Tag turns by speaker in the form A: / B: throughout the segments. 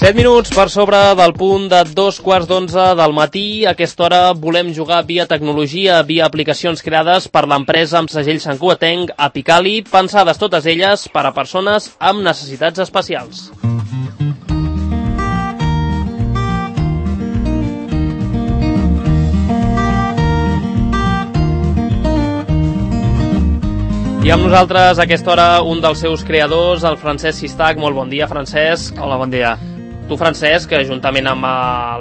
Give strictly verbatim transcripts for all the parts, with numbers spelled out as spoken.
A: set minuts per sobre del punt de dos quarts d'onze del matí. A aquesta hora volem jugar via tecnologia, via aplicacions creades per l'empresa amb segell santcugatenc Apicali, pensades totes elles per a persones amb necessitats especials. I amb nosaltres a aquesta hora un dels seus creadors, el Francesc Sistac. Molt bon dia, Francesc.
B: Hola, bon dia.
A: Tu, Francesc, juntament amb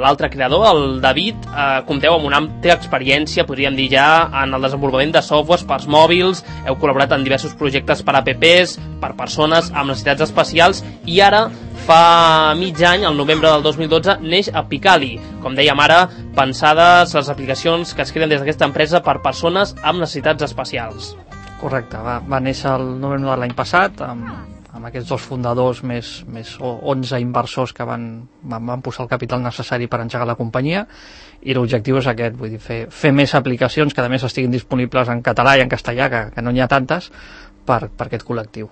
A: l'altre creador, el David, eh, compteu amb una àmplia experiència, podríem dir ja, en el desenvolupament de softwares per mòbils, heu col·laborat en diversos projectes per apps, per persones amb necessitats especials, i ara, fa mig any, el novembre del dos mil dotze, neix Apicali. Com dèiem ara, pensades les aplicacions que es creen des d'aquesta empresa per persones amb necessitats especials.
B: Correcte, va, va néixer el novembre de l'any passat amb, amb aquests dos fundadors més, més onze inversors que van, van, van posar el capital necessari per engegar la companyia, i l'objectiu és aquest, vull dir, fer, fer més aplicacions que a més estiguin disponibles en català i en castellà, que, que no n'hi ha tantes, per, per aquest col·lectiu.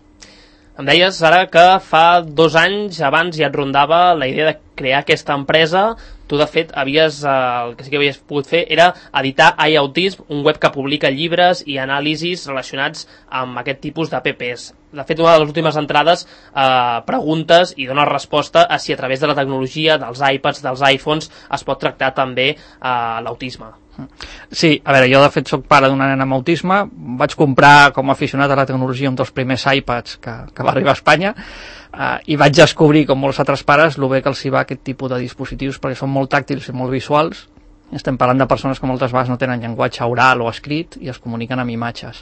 A: Em deies ara que fa dos anys abans ja et rondava la idea de crear aquesta empresa. Tu, de fet, havies, eh, el que sí que havies pogut fer era editar iAutism, un web que publica llibres i anàlisis relacionats amb aquest tipus d'apps. De fet, una de les últimes entrades eh, preguntes i dona resposta a si a través de la tecnologia, dels iPads, dels iPhones, es pot tractar també eh, l'autisme.
B: Sí, a veure, jo de fet soc pare d'una nena amb autisme. Vaig comprar com a aficionat a la tecnologia un dels primers iPads que, que va arribar a Espanya, uh, i vaig descobrir, com molts altres pares, el bé que els hi va aquest tipus de dispositius, perquè són molt tàctils i molt visuals. Estem parlant de persones que moltes vegades no tenen llenguatge oral o escrit i es comuniquen amb imatges.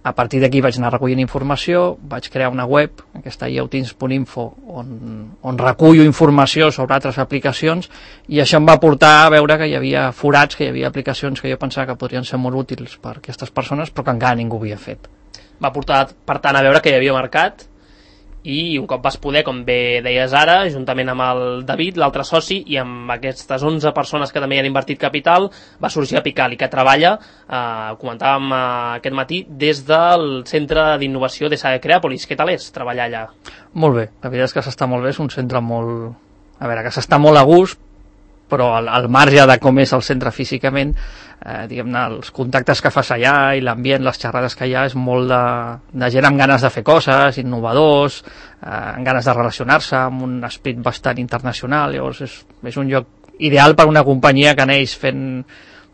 B: A partir d'aquí vaig anar recollint informació, vaig crear una web, aquesta iAutism punt info, on, on recullo informació sobre altres aplicacions, i això em va portar a veure que hi havia forats, que hi havia aplicacions que jo pensava que podrien ser molt útils per a aquestes persones, però que encara ningú havia fet.
A: Va portar, per tant, a veure que hi havia mercat, i un cop vas poder, com bé deies ara, juntament amb el David, l'altre soci, i amb aquestes onze persones que també hi han invertit capital, va sorgir Apicali, que treballa, eh, comentàvem eh, aquest matí, des del Centre d'Innovació de Creàpolis. Què tal és treballar allà?
B: Molt bé, la veritat és que s'està molt bé, és un centre molt... A veure, que s'està molt a gust, però al, al marge de com és el centre físicament, eh, diguem-ne, els contactes que fas allà i l'ambient, les xerrades que hi ha, és molt de, de gent amb ganes de fer coses, innovadors, eh, amb ganes de relacionar-se, amb un esperit bastant internacional. Llavors és, és un lloc ideal per una companyia que neix fent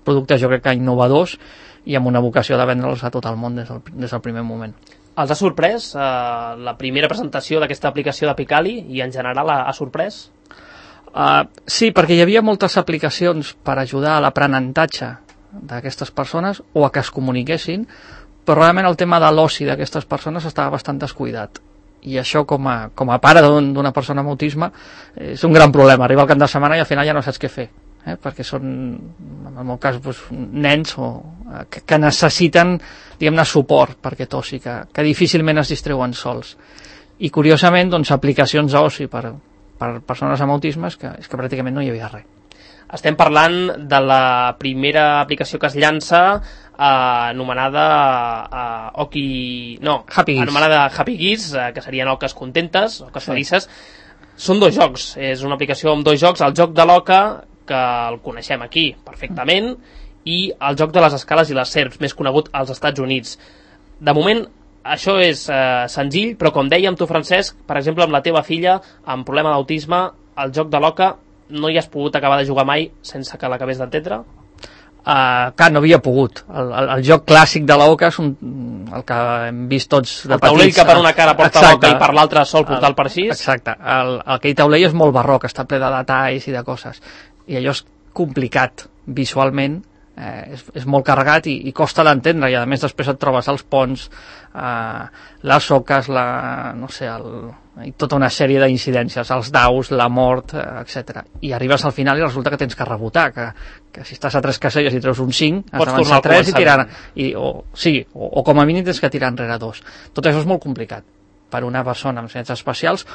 B: productes, jo crec que innovadors, i amb una vocació de vendre'ls a tot el món des del, des del primer moment.
A: Els ha sorprès eh, la primera presentació d'aquesta aplicació d'Apicali, i en general ha, ha sorprès?
B: Uh, sí, perquè hi havia moltes aplicacions per ajudar a l'aprenentatge d'aquestes persones o a que es comuniquessin, però realment el tema de l'oci d'aquestes persones estava bastant descuidat, i això com a, com a pare d'una persona amb autisme és un gran problema. Arriba el cap de setmana i al final ja no saps què fer, eh? perquè són, en el meu cas, doncs, nens o, que, que necessiten, diguem-ne, suport per aquest oci, que, que difícilment es distreuen sols. I curiosament, doncs, aplicacions d'oci per per persones amb autisme és que, és que pràcticament no hi havia res.
A: Estem parlant de la primera aplicació que es llança eh, anomenada eh, Oki... no,
B: Happy
A: anomenada Happy Geese, eh, que serien oques contentes, oques
B: sí.
A: felices. Són dos jocs, és una aplicació amb dos jocs, el joc de l'oca, que el coneixem aquí perfectament, i el joc de les escales i les serps, més conegut als Estats Units. De moment, això és eh, senzill, però com dèiem tu, Francesc, per exemple, amb la teva filla amb problema d'autisme, el joc de l'oca no hi has pogut acabar de jugar mai sense que l'acabés d'entendre?
B: Uh, clar, no havia pogut. El, el, el joc clàssic de l'oca és un, el que hem vist tots de petits.
A: El taulell que per una cara porta l'oca i per l'altra sol portar el parxís.
B: Exacte. El, aquell taulell és molt barroc, està ple de detalls i de coses. I allò és complicat visualment, eh, és, és molt carregat i, i costa d'entendre, i a més després et trobes els ponts, eh, les oques, la, no sé, el, i tota una sèrie d'incidències, els daus, la mort, eh, etcètera. I arribes al final i resulta que tens que rebotar, que, que si estàs a tres caselles i treus un cinc, has d'avançar tres i tirar, i, o, sí, o, o com a mínim tens que tirar enrere dos. Tot això és molt complicat per una persona amb necessitats especials,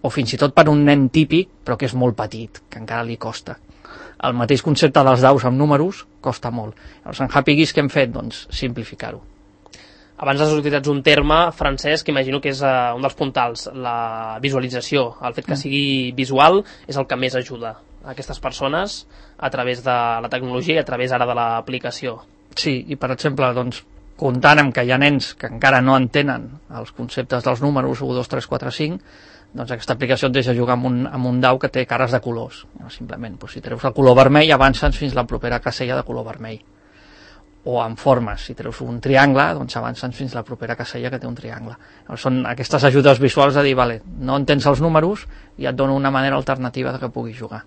B: o fins i tot per un nen típic, però que és molt petit, que encara li costa. El mateix concepte dels daus amb números costa molt. Llavors, en Happy Geese, què hem fet? Doncs simplificar-ho.
A: Abans has utilitzat un terme, Francesc, que imagino que és uh, un dels puntals, la visualització. El fet que sigui visual és el que més ajuda a aquestes persones a través de la tecnologia i a través ara de l'aplicació.
B: Sí, i per exemple, doncs, comptant amb que hi ha nens que encara no entenen els conceptes dels números u, dos, tres, quatre, cinc, doncs aquesta aplicació et deixa jugar amb un, amb un dau que té cares de colors. Simplement, doncs, si treus el color vermell, avances fins la propera casella de color vermell. O amb formes, si treus un triangle, doncs avances fins la propera casella que té un triangle. Llavors, són aquestes ajudes visuals de dir, vale, no entens els números i et dono una manera alternativa de que puguis jugar.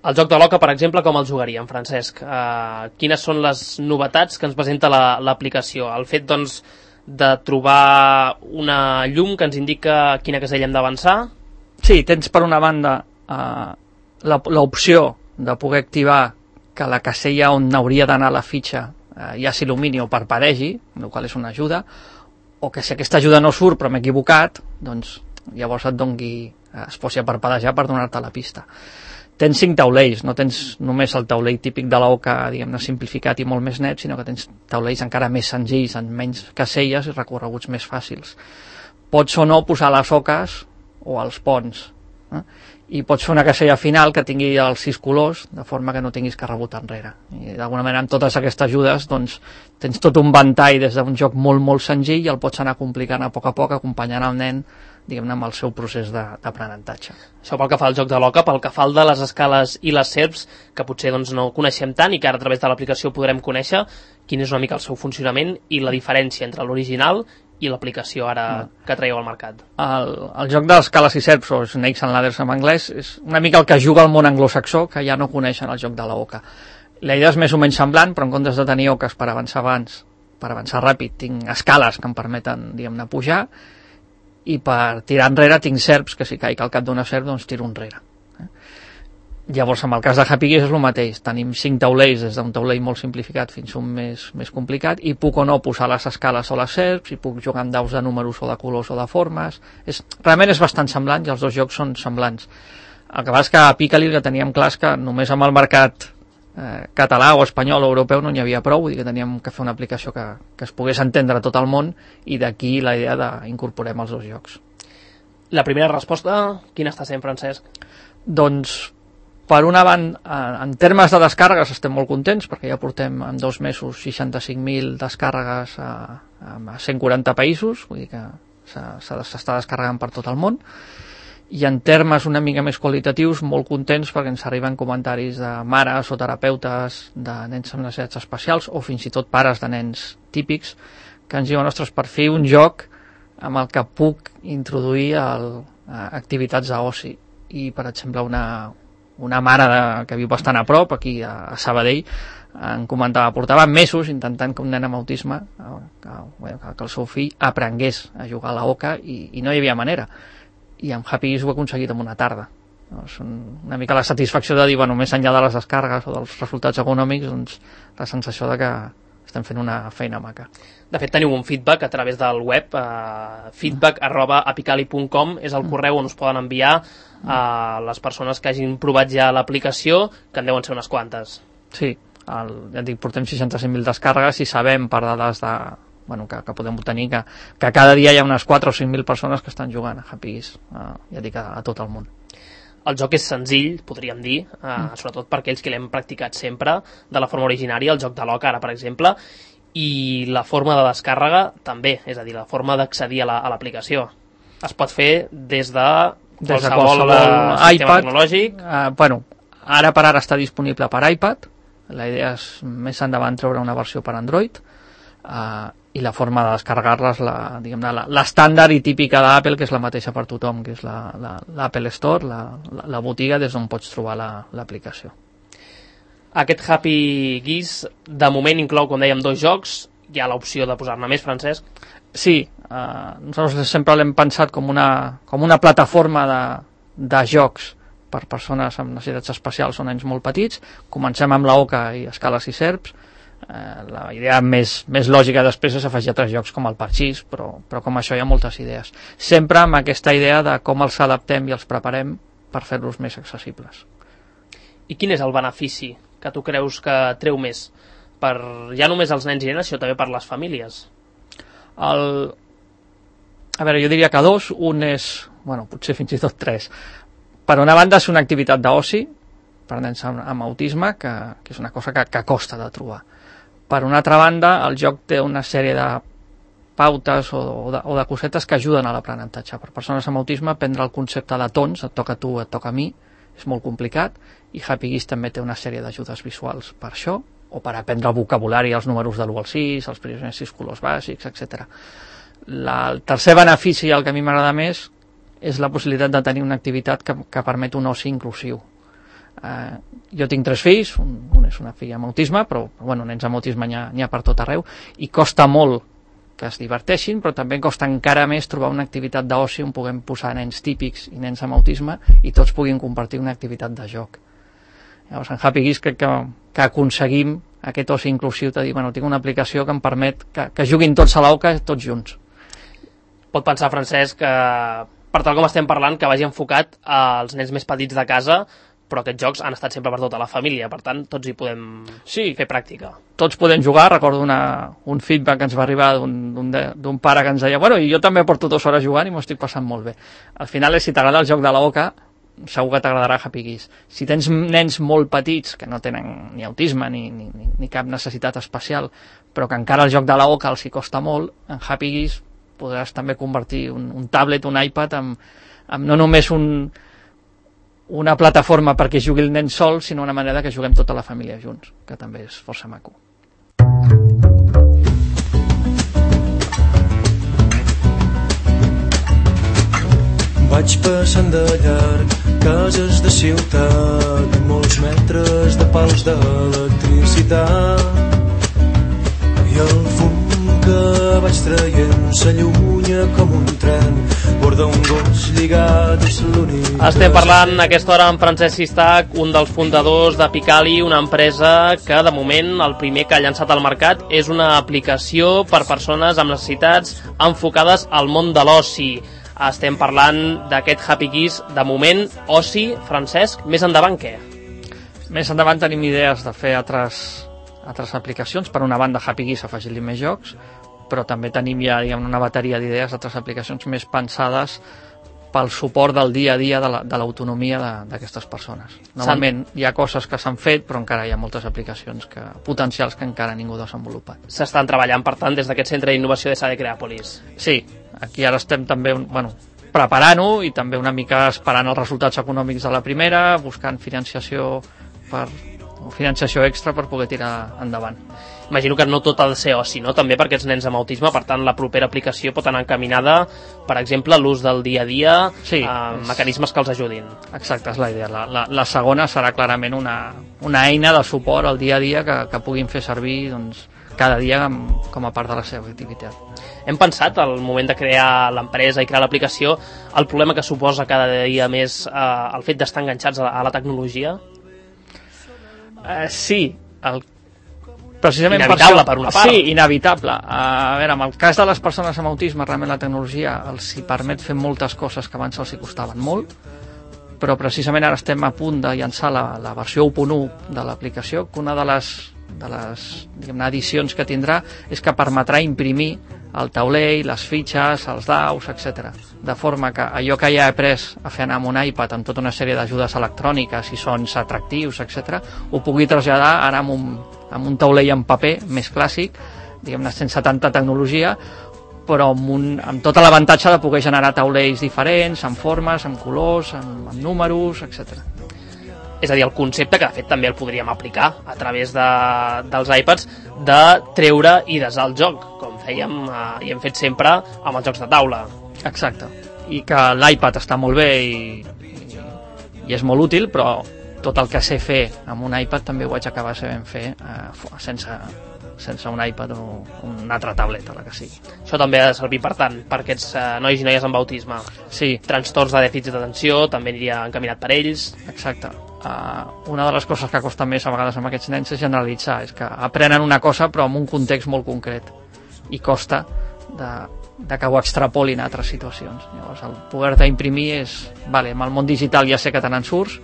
A: El joc de l'oca, per exemple, com el jugaríem, Francesc? Uh, quines són les novetats que ens presenta l'aplicació? La, el fet, doncs, de trobar una llum que ens indica quina casella hem d'avançar?
B: Sí, tens per una banda uh, l'opció de poder activar que la casella on hauria d'anar la fitxa uh, ja s'il·lumini o parpadegi, el qual és una ajuda, o que si aquesta ajuda no surt però m'he equivocat, doncs llavors et dongui, uh, es posi a parpadejar per donar-te la pista. Tens cinc taulells, no tens només el taulell típic de l'oca, diguem-ne, simplificat i molt més net, sinó que tens taulells encara més senzills, amb menys caselles i recorreguts més fàcils. Pots o no posar les oques o els ponts, eh? I pots fer una casella final que tingui els sis colors, de forma que no tinguis que rebotar enrere. I d'alguna manera, amb totes aquestes ajudes, doncs, tens tot un ventall des d'un joc molt, molt senzill i el pots anar complicant a poc a poc, acompanyant el nen, diguem-ne, amb el seu procés d'aprenentatge.
A: Això pel que fa al joc de l'oca, pel que fa al de les escales i les serps, que potser doncs, no coneixem tant i que ara a través de l'aplicació podrem conèixer quin és una mica el seu funcionament i la diferència entre l'original i l'aplicació ara no. que traieu al mercat.
B: El, el joc de les escales i serps, o Snakes and Ladders en anglès, és una mica el que juga al món anglosaxó, que ja no coneixen el joc de l'oca. La idea és més o menys semblant, però en comptes de tenir oques per avançar abans, per avançar ràpid, tinc escales que em permeten, diguem-ne, pujar, i per tirar enrere tinc serps, que si caic al cap d'una serp, doncs tiro enrere. Eh? Llavors, amb el cas de Happy Geese és el mateix. Tenim cinc taulells, des d'un taulell molt simplificat fins a un més, més complicat, i puc o no posar les escales o les serps, i puc jugar amb daus de números o de colors o de formes. És, realment és bastant semblant, i els dos jocs són semblants. El que passa és que a Picali el que teníem clar és que només amb el mercat eh, català o espanyol o europeu no n'hi havia prou, vull dir que teníem que fer una aplicació que, que es pogués entendre a tot el món, i d'aquí la idea d'incorporem els dos jocs.
A: La primera resposta, quina està sent, Francesc?
B: Doncs, per una banda, en termes de descàrregues estem molt contents, perquè ja portem en dos mesos seixanta-cinc mil descàrregues a, a cent quaranta països, vull dir que s'està descarregant per tot el món. I en termes una mica més qualitatius, molt contents perquè ens arriben comentaris de mares o terapeutes de nens amb necessitats especials, o fins i tot pares de nens típics, que ens diuen, ostres, per fi un joc amb el que puc introduir el, activitats d'oci. I, per exemple, una, una mare de, que viu bastant a prop, aquí a, a Sabadell, em comentava, portava mesos intentant que un nen amb autisme, que, que, que el seu fill aprengués a jugar a l'oca, i, i no hi havia manera. I amb Happy Geese ho he aconseguit en una tarda. És una mica la satisfacció de dir, bueno, més enllà de les descàrregues o dels resultats econòmics, doncs la sensació de que estem fent una feina maca.
A: De fet, teniu un feedback a través del web, eh, feedback arroba apicali punt com és el correu on us poden enviar a les persones que hagin provat ja l'aplicació, que en deuen ser unes quantes.
B: Sí, el, ja et dic, portem seixanta-cinc mil descàrregues i sabem per dades de, bueno, que, que podem obtenir que, que cada dia hi ha unes quatre o cinc mil persones que estan jugant a Happy Geese, eh, ja dic, a, a tot el món.
A: El joc és senzill, podríem dir, eh, mm. sobretot per aquells que l'hem practicat sempre de la forma originària, el joc de l'oca ara, per exemple, i la forma de descàrrega també, és a dir, la forma d'accedir a l'aplicació. La, es pot fer des de
B: des de
A: qualsevol,
B: qualsevol
A: sistema
B: iPad,
A: tecnològic.
B: Uh, bueno, ara per ara està disponible per iPad, la idea és més endavant treure una versió per Android, uh, i la forma de descarregar-les, la, diguem-ne, l'estàndard i típica d'Apple, que és la mateixa per tothom, que és l'Apple Store, la, la, la botiga des d'on pots trobar l'aplicació.
A: La, Aquest Happy Geese, de moment, inclou, com dèiem, dos jocs. Hi ha l'opció de posar-ne més, Francesc?
B: Sí, eh, nosaltres sempre l'hem pensat com una, com una plataforma de, de jocs per persones amb necessitats especials o nens molt petits. Comencem amb l'oca i escales i serps. Eh, la idea més, més lògica després és afegir altres jocs com el parxís, però, però com això hi ha moltes idees. Sempre amb aquesta idea de com els adaptem i els preparem per fer-los més accessibles.
A: I quin és el benefici que tu creus que treu més? Per, ja només els nens i nenes, sinó també per les famílies?
B: El... A veure, jo diria que dos. Un és, bueno, potser fins i tot tres. Per una banda és una activitat d'oci per nens amb, amb autisme, que, que és una cosa que, que costa de trobar. Per una altra banda, el joc té una sèrie de pautes o, o, de, o de cosetes que ajuden a l'aprenentatge. Per persones amb autisme, aprendre el concepte de tons, et toca a tu, et toca a mi, és molt complicat, i Happy Geese també té una sèrie d'ajudes visuals per això, o per aprendre el vocabulari, els números de l'u al sis, els primers sis colors bàsics, etcètera. La, el tercer benefici, el que a mi m'agrada més, és la possibilitat de tenir una activitat que, que permet un oci inclusiu. Uh, jo tinc tres fills, un, un és una filla amb autisme, però bueno, nens amb autisme n'hi ha, n'hi ha per tot arreu, i costa molt que es diverteixin, però també costa encara més trobar una activitat d'oci on puguem posar nens típics i nens amb autisme i tots puguin compartir una activitat de joc. Llavors, en Happy Geese crec que, que aconseguim aquest oci inclusiu de dir, bueno, tinc una aplicació que em permet que, que juguin tots a l'Oca, tots junts.
A: Pot pensar, Francesc, que per tal com estem parlant, que vagi enfocat als nens més petits de casa, però aquests jocs han estat sempre per tota la família, per tant, tots hi podem sí, fer pràctica.
B: Tots podem jugar. Recordo una, un feedback que ens va arribar d'un pare que ens deia, bueno, i jo també porto dues hores jugant i m'ho estic passant molt bé. Al final, si t'agrada el joc de l'Oca, segur que t'agradarà Happy Geese. Si tens nens molt petits, que no tenen ni autisme ni, ni, ni cap necessitat especial, però que encara el joc de l'Oca els hi costa molt, en Happy Geese podràs també convertir un, un tablet, un iPad, amb, amb no només un una plataforma perquè jugui el nen sol, sinó una manera que juguem tota la família junts, que també és força maco.
C: Vaig passant de llarg cases de ciutat, molts metres de pals d'electricitat, i el fum que vaig traient s'allunya com un tren, borda un gos lligat, és l'únic.
A: Estem parlant a aquesta hora amb Francesc Sistac, un dels fundadors de Picali, una empresa que de moment el primer que ha llançat al mercat és una aplicació per persones amb necessitats enfocades al món de l'oci. Estem parlant d'aquest Happy Geese, de moment, oci. Francesc, més endavant què?
B: Més endavant tenim idees de fer altres altres aplicacions. Per una banda, Happy Geese afegir-li més jocs, però també tenim ja, diguem, una bateria d'idees, altres aplicacions més pensades pel suport del dia a dia de l'autonomia d'aquestes persones. Normalment hi ha coses que s'han fet, però encara hi ha moltes aplicacions que, potencials que encara ningú ha desenvolupat.
A: S'estan treballant, per tant, des d'aquest centre d'innovació de Sade Creàpolis.
B: Sí, aquí ara estem també, bueno, preparant-ho i també una mica esperant els resultats econòmics de la primera, buscant financiació per financiació extra per poder tirar endavant.
A: Imagino que no tot ha de ser oci, no? També per aquests nens amb autisme, per tant la propera aplicació pot anar encaminada, per exemple, a l'ús del dia a dia,
B: sí,
A: a
B: és...
A: mecanismes que els ajudin.
B: Exacte, és la idea. La, la, la segona serà clarament una, una eina de suport al dia a dia que, que puguin fer servir, doncs, cada dia com a part de la seva activitat.
A: Hem pensat, al moment de crear l'empresa i crear l'aplicació, el problema que suposa cada dia més eh, el fet d'estar enganxats a la, a la tecnologia?
B: Uh, sí, el, precisament
A: inevitable
B: per,
A: per una part.
B: Sí, inevitable. Uh, a veure, en el cas de les persones amb autisme, realment la tecnologia els hi permet fer moltes coses que abans els hi costaven molt, però precisament ara estem a punt de llançar la, la versió u punt u de l'aplicació, que una de les, de les diguem-ne, edicions que tindrà és que permetrà imprimir el taulell, les fitxes, els daus, etcètera. De forma que allò que ja he après a fer anar amb un iPad amb tota una sèrie d'ajudes electròniques i sons atractius, etcètera, ho pugui traslladar ara amb un, amb un taulell en paper més clàssic, diguem-ne sense tanta tecnologia, però amb, un, amb tot l'avantatge de poder generar taulells diferents, amb formes, amb colors, amb, amb números, etcètera.
A: És a dir, el concepte que de fet també el podríem aplicar a través de, dels iPads, de treure i desar el joc, com fèiem eh, i hem fet sempre amb els jocs de taula.
B: Exacte, i que l'iPad està molt bé i, i, i és molt útil, però tot el que sé fer amb un iPad també ho vaig acabar sabent fer eh, sense, sense un iPad o una altra tableta, la que sigui.
A: Això també ha de servir, per tant, per aquests eh, nois i noies amb autisme.
B: Sí.
A: Trastorns de dèficit d'atenció, també aniria encaminat per ells.
B: Exacte. Uh, una de les coses que costa més a vegades amb aquests nens és generalitzar, és que aprenen una cosa però en un context molt concret i costa de, de que ho extrapolin a altres situacions. Llavors el poder-te imprimir és, vale, amb el món digital ja sé que te n'en surts,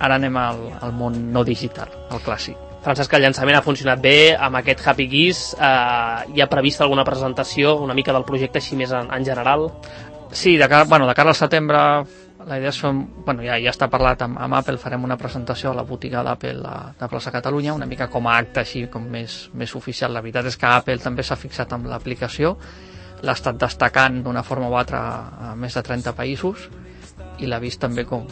B: ara anem al, al món no digital, al clàssic.
A: Francesc, el llançament ha funcionat bé amb aquest Happy Geese. Eh, hi ha prevista alguna presentació, una mica del projecte així més en, en general?
B: Sí, de cara, bueno, de cara al setembre la idea és fer, bueno, ja, ja està parlat amb, amb Apple, farem una presentació a la botiga d'Apple de Plaça Catalunya, una mica com a acte així com més, més oficial. La veritat és que Apple també s'ha fixat amb l'aplicació, l'ha estat destacant d'una forma o altra a més de trenta països i l'ha vist també com,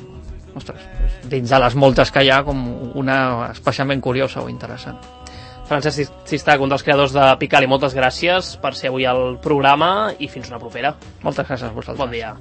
B: ostres, dins de les moltes que hi ha, com una especialment curiosa o interessant.
A: Francesc Sistac, un dels creadors de Picali, moltes gràcies per ser avui al programa i fins una propera.
B: Moltes gràcies a vosaltres.
A: Bon dia.